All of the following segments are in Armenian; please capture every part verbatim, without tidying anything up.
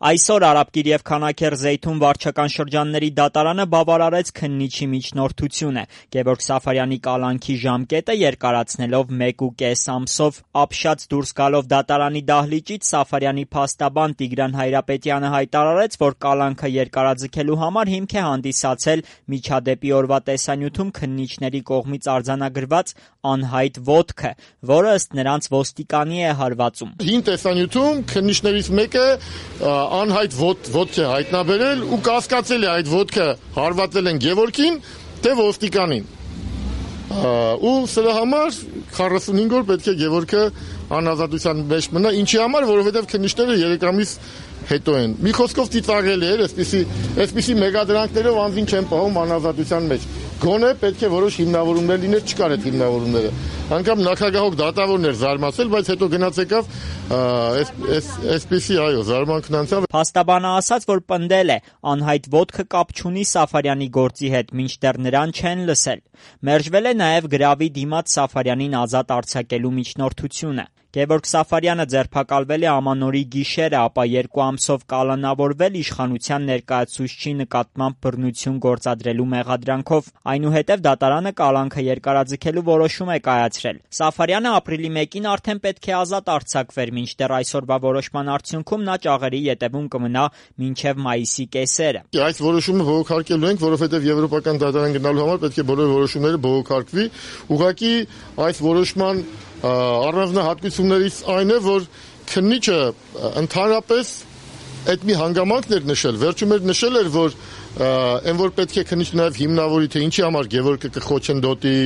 Այսօր Արաբկիր եւ Քանաքեռ Զեյթուն վարչական շրջանների դատարանը բավարարեց քննիչի միջնորդությունը, Գևորգ Սաֆարյանի կալանքի ժամկետը երկարացնելով մեկ ու կես ամսով։ Ապշած դուրս գալով դատարանի դահլիճից Սաֆարյանի փաստաբան Տիգրան Հայրապետյանը հայտարարեց, որ կալանքը երկարաձգելու համար հիմք է հանդիսացել միջադեպի օրվա տեսանյութում քննիչների կողմից արձանագրված անհայտ ոտքը, որը ըստ նրանց ոստիկանի է հարվածում։ Հին տեսանյութում քննիչներից մեկը անհայտ ոտք է հայտնաբերել ու կասկածել է այդ ոտքը հարվածել են Գևորգին, թե ոստիկանին։ Ու սրա համար քառասունհինգ օր պետք է Գևորգը անազատության մեջ մնա, ինչի համար, որովհետև քննիչները երեք ամիս հետո են։ Մի խոսքով ծիծաղելի էր, այսպիսի այսպիսի մեգադրանքներով անձին չեն պահում անազատության մեջ։ Գոնե պետք է որոշ հիմնավորումներ լիներ, չկար այդ հիմնավորումները։ Անկամ նախագահող դատավորն էր զարմացել, բայց հետո գնաց եկավ այսպիսի այո զարմանքն անցավ։ Փաստաբանը ասաց, որ պնդել է անհայտ ոտքը կապ չունի Սաֆարյանի գործի հետ, մինչդեռ նրան չեն լսել։ Մերժվել է նաև գրավի դիմաց Սաֆարյանին ազատ արձակելու միջնորդությունը։ Գևորգ Սաֆարյանը ձերբակալվել է ամանորի գիշերը, ապա երկու ամսով կալանավորվել իշխանության ներկայացուցչի նկատմամբ բռնություն գործադրելու մեղադրանքով։ Այնուհետև դատարանը կալանքը երկարաձգելու որոշում է կայացրել։ Սաֆարյանը ապրիլի մեկին արդեն պետք է ազատ արձակվեր, մինչդեռ այսօրվա որոշման արդյունքում նա ճաղերի ետևում կմնա մինչև մայիսի կեսերը։ Այս որոշումը բողոքարկելու ենք, որովհետև եվրոպական դատարան գնալու համար պետք է բոլոր որոշումները բողոքարկվի։ Ուղղակի այս որոշման առանձնահատկություններից այն է, որ քննիչը ընդհանրապես այդ մի հանգամանքն էր նշել, վերջում էր նշել էր, որ այն որ պետք է քննիչը նաև հիմնավորի, թե ինչի համար Գևորգը կխոչընդոտի,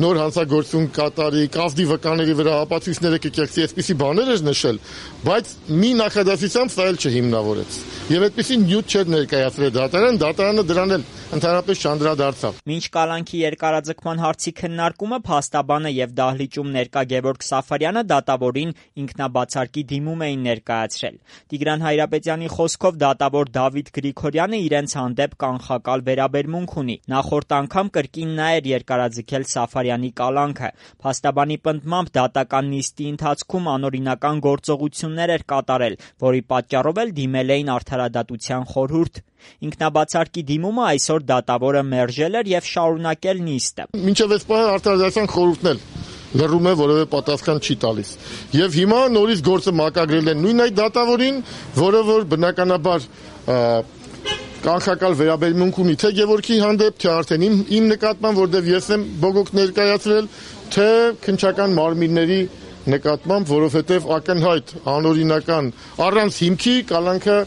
նոր հանցագործություն կատարի, կազդի վկաների վրա ապացույցները կկեղծի, այսպիսի բաներ էր նշել, բայց մի նախադասությամբ սա էլ չհիմնավորեց։ Եվ այդպիսի նյութ չէր ներկայացրել դատարան, դատարանը դրան էլ ընդհանրապես չանդրադարձավ։ Մինչ կալանքի երկարաձգման հարցի քննարկումը փաստաբանը եւ դահլիճում ներկա Գևորգ Սաֆարյանը դատավորին ինքնաբացարկի դիմում էին ներկայացրել։ Տիգրան Հայրապետյանի խոսքով դատավոր Դավիթ Գրիգորյանը իրենց հանդեպ կանխակալ վերաբերմունք ունի։ Նախորդ անգամ կրկին նա էր երկարաձգել Սաֆարյանի կալանքը։ Փաստաբանի պնդմամբ դատական նիստի ընթացքում անօրինական գործողություններ էր կատարել, որի պատճառով էլ դիմել էին արդարադատության խորհուրդ։ Ինքնաբացարկի դիմումը այսօր դատավորը մերժել էր եւ շարունակել նիստը։ Մինչև այս պահը արդարադատության խորհուրդն էլ լռում է, որևէ պատասխան չի տալիս։ Եվ հիմա նորից գործը մակագրել են նույն այդ դատավորին, որը որ բնականաբար կանխակալ վերաբերմունք ունի թե Գևորգի հանդեպ, թե արդեն իմ, իմ նկատմամբ, որտեղ ես եմ բողոք ներկայացրել, թե քննչական մարմինների նկատմամբ, որովհետև ակնհայտ անօրինական առանց հիմքի կալանքը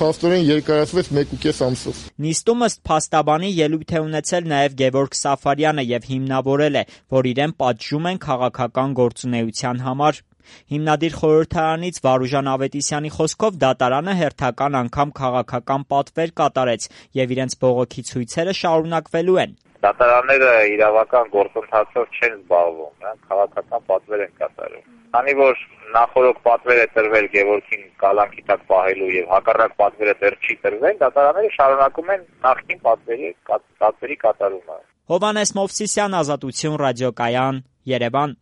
փաստորեն երկարացվեց մեկ ու կես ամսով։ Նիստում ըստ փաստաբանի ելույթ է ունեցել նաև Գևորգ Սաֆարյանը եւ հիմնավորել է, որ իրեն պատժում են քաղաքական գործունեության համար։ Հիմնադիր խորհրդարանից Վարուժան Ավետիսյանի խոսքով դատարանը հերթական անգամ քաղաքական պատվեր կատարեց եւ իրենց բողոքի ցույցերը շարունակվելու են։ Դատարանները իրավական գործընթացով չեն զբաղվում, նրանք քաղաքական պատվեր են կատարում։ Քանի որ նախորդ պատվեր է տրվել Գևորգին կալանքի տակ պահելու եւ հակառակ պատվերը դեռ չի տրվել, դատարանները շարունակում են նախկին պատվերի պատվերի կատարումը։ Հովհաննես Մովսիսյան, Ազատություն ռադիոկայան, Երևան։